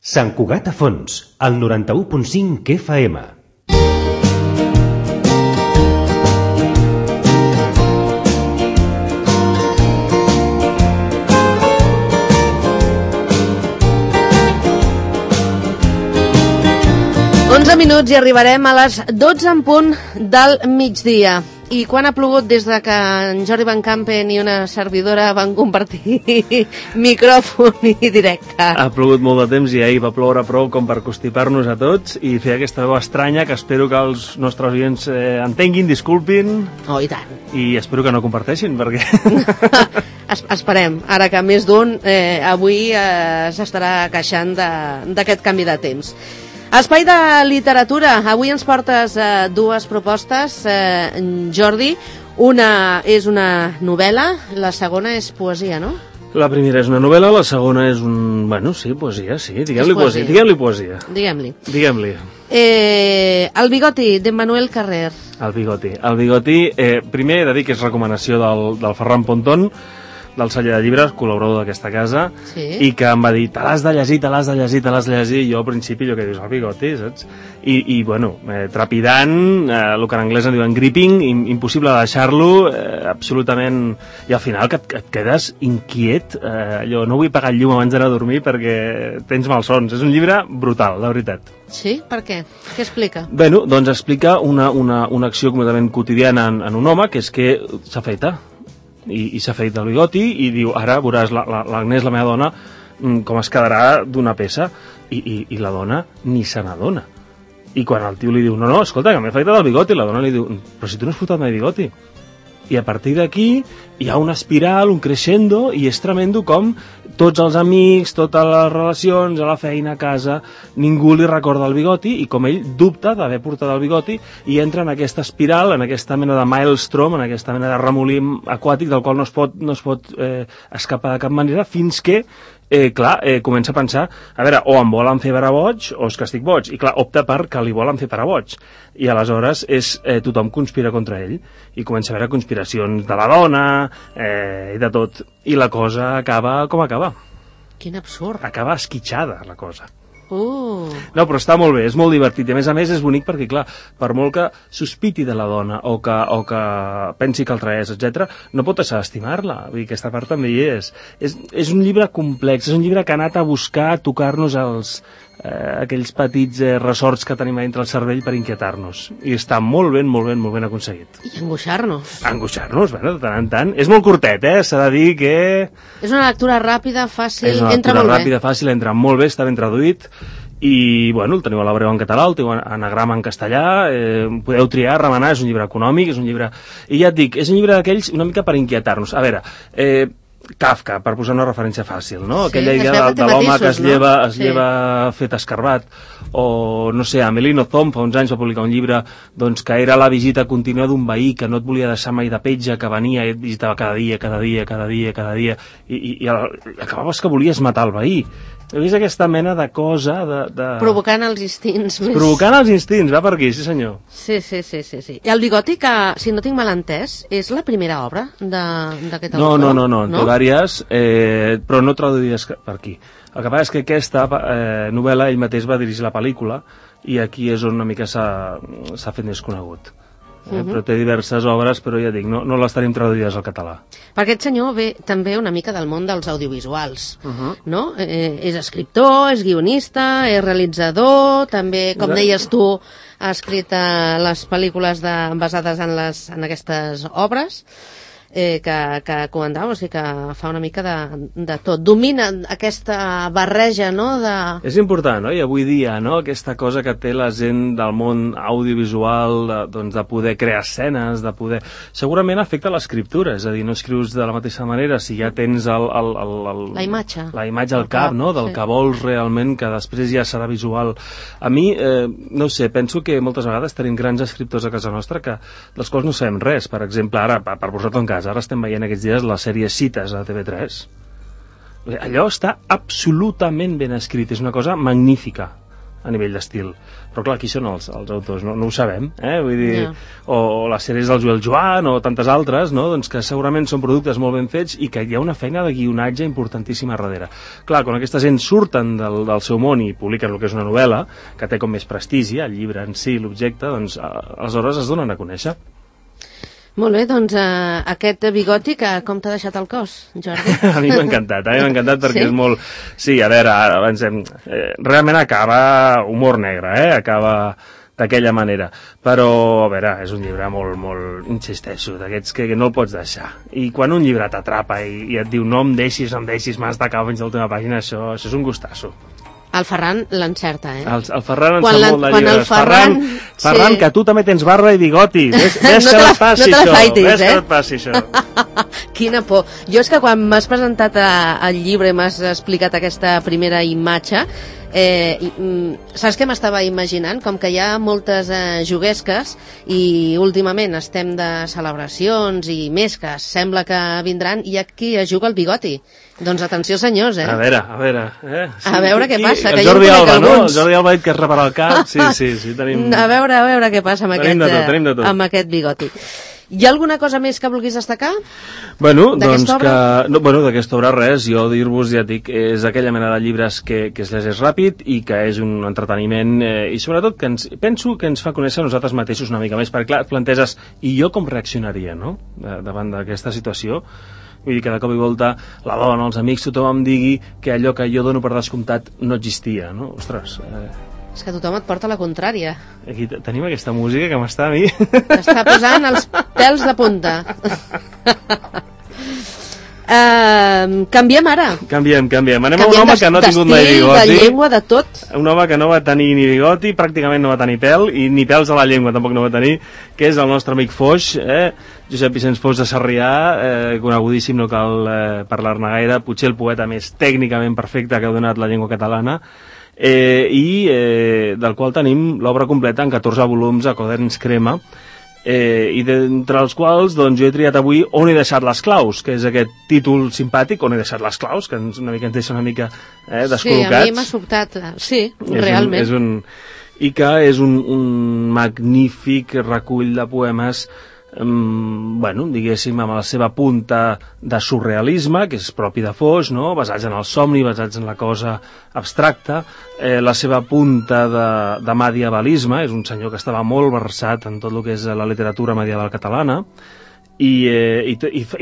Sant Cugat a Fons, al 91.5 FM. Minuts i arribarem a les 12 en punt del migdia. I quan ha plogut des de que en Jordi Van Campen i una servidora van compartir micròfon i directe? Ha plogut molt de temps i ahir va ploure prou com per constipar-nos a tots i fer aquesta veu estranya que espero que els nostres oients entenguin, disculpin. Oh, i tant. I espero que no comparteixin, perquè... Esperem, ara que més d'un avui s'estarà queixant d'aquest canvi de temps. Espai de literatura. Avui ens portes dues propostes, Jordi. Una és una novel·la, la segona és poesia, no? La primera és una novel·la, la segona és un... Bueno, sí, poesia, sí. Diguem-li poesia. Diguem-li. El bigoti, d'Emmanuel Carrer. El bigoti. Primer he de dir que és recomanació del Ferran Pontón, del celler de llibres, col·laborador d'aquesta casa, sí. I que em va dir, te l'has de llegir, i jo al principi allò que dius, el bigoti, saps? I bueno, trepidant, el que en anglès en diuen gripping, impossible de deixar-lo, absolutament, i al final que et quedes inquiet, allò, no vull apagar el llum abans d'anar a dormir perquè tens malsons. És un llibre brutal, la veritat. Sí? Per què? Què explica? Bueno, doncs explica una acció completament quotidiana en un home, que és que s'afeita. I s'ha fet el bigoti i diu, ara veuràs l'Agnès, la meva dona, com es quedarà d'una peça. I la dona ni se n'adona. I quan el tio li diu, no, escolta, que m'he afeitat el bigoti, la dona li diu, però si tu no has fotat mai bigoti. I a partir d'aquí hi ha una espiral, un crescendo, i és tremendo com tots els amics, totes les relacions, a la feina, a casa, ningú li recorda el bigoti, i com ell dubta d'haver portat el bigoti i entra en aquesta espiral, en aquesta mena de maelstrom, en aquesta mena de remolí aquàtic del qual no es pot escapar de cap manera, fins que comença a pensar, a veure, o em volen fer parar boig o és que estic boig, i clar, opta per que li volen fer parar boig, i aleshores tothom conspira contra ell, i comença a haver conspiracions de la dona i de tot, i la cosa acaba com acaba. Quin absurd. Acaba esquitxada la cosa. No, però està molt bé, és molt divertit, i a més és bonic perquè, clar, per molt que sospiti de la dona o que pensi que altra és, etc., no pot deixar d'estimar-la. Vull dir, aquesta part també hi és. És un llibre complex, és un llibre que ha anat a buscar tocar-nos aquells petits ressorts que tenim dintre el cervell per inquietar-nos. I està molt ben aconseguit. I angoixar-nos. Bueno, de tant en tant. És molt curtet, s'ha de dir que... És una lectura ràpida, fàcil, entra molt bé. És una lectura ràpida, fàcil, entra molt bé, està ben traduït. I, bueno, el teniu a l'Abreu en català, el teniu anagrama en castellà, podeu triar, remenar, és un llibre econòmic, és un llibre... I ja et dic, és un llibre d'aquells una mica per inquietar-nos. A veure, Kafka, per posar una referència fàcil, no? Sí, aquella idea de l'home que es lleva fet escarbat, o, no sé, Amelino Zom fa uns anys va publicar un llibre doncs, que era la visita contínua d'un veí que no et volia deixar mai de petja, que venia i et visitava cada dia, i acabaves que volies matar el veí. He vist aquesta mena de cosa Provocant els instints més... Provocant els instints, va per aquí, sí senyor. Sí. I el bigoti, que, si no tinc mal entès, és la primera obra d'aquest autor? No, en té vàries, però no traduïdes per aquí. El que passa és que aquesta novel·la ell mateix va dirigir la pel·lícula i aquí és on una mica s'ha fet més conegut. Però té diverses obres, però ja dic, no les tenim traduïdes al català. Per aquest senyor ve també una mica del món dels audiovisuals, no? És escriptor, és guionista, és realitzador, també, com deies tu, ha escrit les pel·lícules basades en aquestes obres que comentàvem, o sigui que fa una mica de tot. Domina aquesta barreja, no? És important, no? I avui dia, no? Aquesta cosa que té la gent del món audiovisual, de poder crear escenes, de poder... Segurament afecta l'escriptura, és a dir, no escrius de la mateixa manera si ja tens la imatge al cap, no? Del que vols realment, que després ja serà visual. A mi, no sé, penso que moltes vegades tenim grans escriptors a casa nostra dels quals no sabem res. Per exemple, ara, per posar-te en cas, ara estem veient aquests dies la sèrie Cites a TV3. Allò està absolutament ben escrit, és una cosa magnífica. a nivell d'estil. Però clar, qui són els autors? No ho sabem, vull dir, o les sèries del Joel Joan o tantes altres, no? Doncs que segurament són productes molt ben fets i que hi ha una feina de guionatge importantíssima darrere. Clar, quan aquesta gent surten del seu món i publiquen el que és una novel·la, que té com més prestigi, el llibre en si, l'objecte, doncs aleshores es donen a conèixer. Molt bé, doncs aquest bigoti, com t'ha deixat el cos, Jordi? A mi m'ha encantat perquè és molt... Sí, a veure, avancem. Realment acaba humor negre, acaba d'aquella manera. Però, a veure, és un llibre molt, insisteixo, d'aquests que no el pots deixar. I quan un llibre t'atrapa i et diu no em deixis, m'has d'acabar fins a l'última pàgina, això és un gustasso. El Ferran l'encerta, El Ferran en sap molt de llibres. Ferran, sí. Que tu també tens barba i bigoti. Ves que et passi això. Quina por. Jo és que quan m'has presentat el llibre, m'has explicat aquesta primera imatge, saps què m'estava imaginant? Com que hi ha moltes juguesques i últimament estem de celebracions i més que sembla que vindran, hi ha qui es juga el bigoti. Doncs atenció, senyors, A veure. Sí, a veure què passa. El Jordi Alba, no? El Jordi Alba ha dit que es repara el cap. Sí, tenim... A veure què passa amb tenim de tot. Amb aquest bigoti. Hi ha alguna cosa més que vulguis destacar? Bueno, doncs d'aquesta obra res, jo dir-vos, ja et dic, és aquella mena de llibres que es llegeix ràpid i que és un entreteniment i sobretot que penso que ens fa conèixer nosaltres mateixos una mica més, perquè clar, et planteges, i jo com reaccionaria, no?, davant d'aquesta situació. Vull dir que de cop i volta la dona, els amics, tothom em digui que allò que jo dono per descomptat no existia, no? Ostres... És que tothom et porta la contrària. Aquí tenim aquesta música que m'està a mi... T'està posant els pèls de punta. Canviem ara. Canviem. Anem a un home que no ha tingut mai bigoti. De llengua, de tot. Un home que no va tenir ni bigoti, pràcticament no va tenir pèl, i ni pèls a la llengua tampoc no va tenir, que és el nostre amic Foix, Josep Vicenç Foix de Sarrià, conegudíssim, no cal parlar-ne gaire, potser el poeta més tècnicament perfecte que ha donat la llengua catalana, del qual tenim l'obra completa en 14 volums a Quaderns Crema, i d'entre els quals doncs, jo he triat avui On he deixat les claus, que és aquest títol simpàtic, On he deixat les claus, que ens deixa una mica descol·locats. Sí, a mi m'ha sobtat, sí, realment. I que és un magnífic recull de poemes, diguéssim, amb la seva punta de surrealisme, que és propi de Foix, no? Basats en el somni, basats en la cosa abstracta, la seva punta de medievalisme, és un senyor que estava molt versat en tot el que és la literatura medieval catalana, i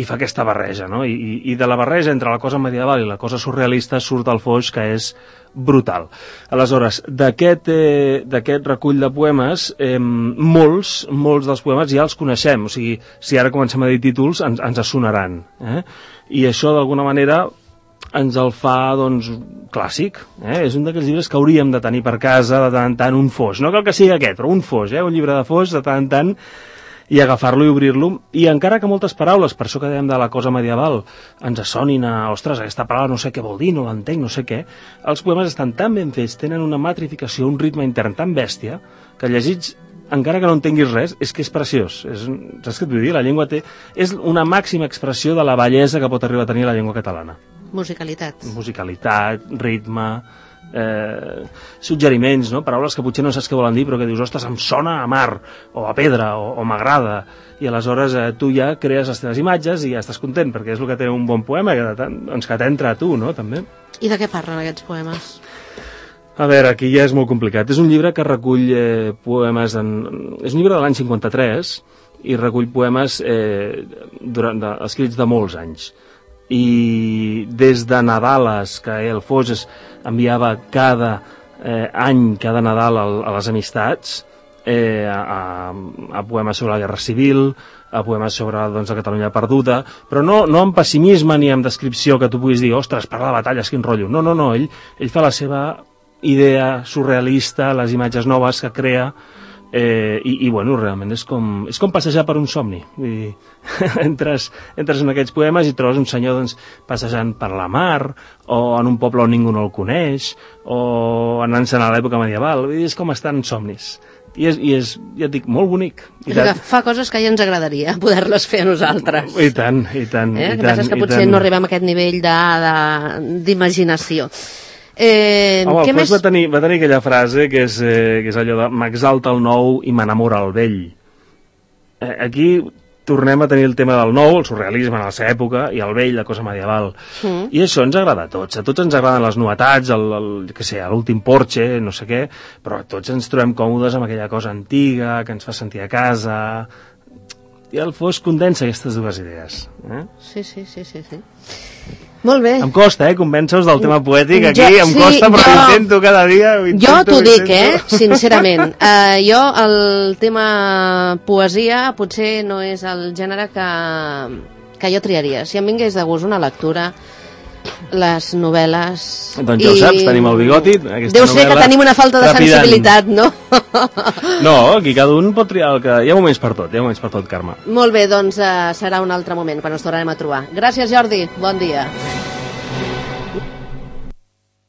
fa aquesta barreja, no? I de la barreja entre la cosa medieval i la cosa surrealista surt el Foix, que és brutal. Aleshores, d'aquest recull de poemes, molts dels poemes ja els coneixem, o sigui, si ara comencem a dir títols ens sonaran, i això d'alguna manera ens el fa, doncs, clàssic, és un d'aquells llibres que hauríem de tenir per casa de tant en tant, un Foix, no cal que sigui aquest, però un Foix, un llibre de Foix de tant en tant, i agafar-lo i obrir-lo, i encara que moltes paraules, per això que dèiem de la cosa medieval, ens sonin a, ostres, aquesta paraula no sé què vol dir, no l'entenc, no sé què, els poemes estan tan ben fets, tenen una metrificació, un ritme intern tan bèstia, que llegits, encara que no entenguis res, és que és preciós. Saps què et vull dir? La llengua és una màxima expressió de la bellesa que pot arribar a tenir la llengua catalana. Musicalitat, ritme, suggeriments, no? Paraules que potser no saps què volen dir, però que dius, ostres, em sona a mar, o a pedra, o m'agrada, i aleshores tu ja crees les teves imatges i ja estàs content, perquè és el que té un bon poema, que t'entra a tu, no?, també. I de què parlen aquests poemes? A veure, aquí ja és molt complicat. És un llibre que recull poemes... És un llibre de l'any 53 i recull poemes escrits de molts anys. I des de Nadales, que el Foix enviava cada any, cada Nadal a les amistats, a poemes sobre la Guerra Civil, a poemes sobre la Catalunya perduda, però no amb pessimisme ni amb descripció que tu puguis dir, ostres, parla de batalles, quin rotllo. No, ell fa la seva idea surrealista, les imatges noves que crea, i bueno, realment és com passejar per un somni. Vull dir, entres en aquests poemes i trobes un senyor passejant per la mar, o en un poble on ningú no el coneix, o anant-se'n a l'època medieval. Vull dir, és com estar en somnis. I és, ja et dic, molt bonic. Fa coses que ja ens agradaria poder-les fer a nosaltres. I tant. El que passa és que potser no arribem a aquest nivell d'imaginació. Home, què el més? Foix va tenir aquella frase que és allò de m'exalta el nou i m'enamora el vell. Aquí tornem a tenir el tema del nou, el surrealisme en la seva època, i el vell, la cosa medieval. I això ens agrada a tots ens agraden les novetats, l'últim Porsche, no sé què, però tots ens trobem còmodes amb aquella cosa antiga, que ens fa sentir a casa, i el Foix condensa aquestes dues idees. Sí. Molt bé. Em costa, convèncer-vos del tema poètic aquí, em costa, però intento cada dia. Jo t'ho dic, sincerament. Jo, el tema poesia, potser no és el gènere que jo triaria. Si em vingués de gust una lectura, les novel·les... Doncs ja ho saps, tenim el bigoti. Deu ser que tenim una falta de sensibilitat, no? No, aquí cada un pot triar el que... Hi ha moments per tot, Carme. Molt bé, doncs serà un altre moment quan ens tornarem a trobar. Gràcies, Jordi. Bon dia.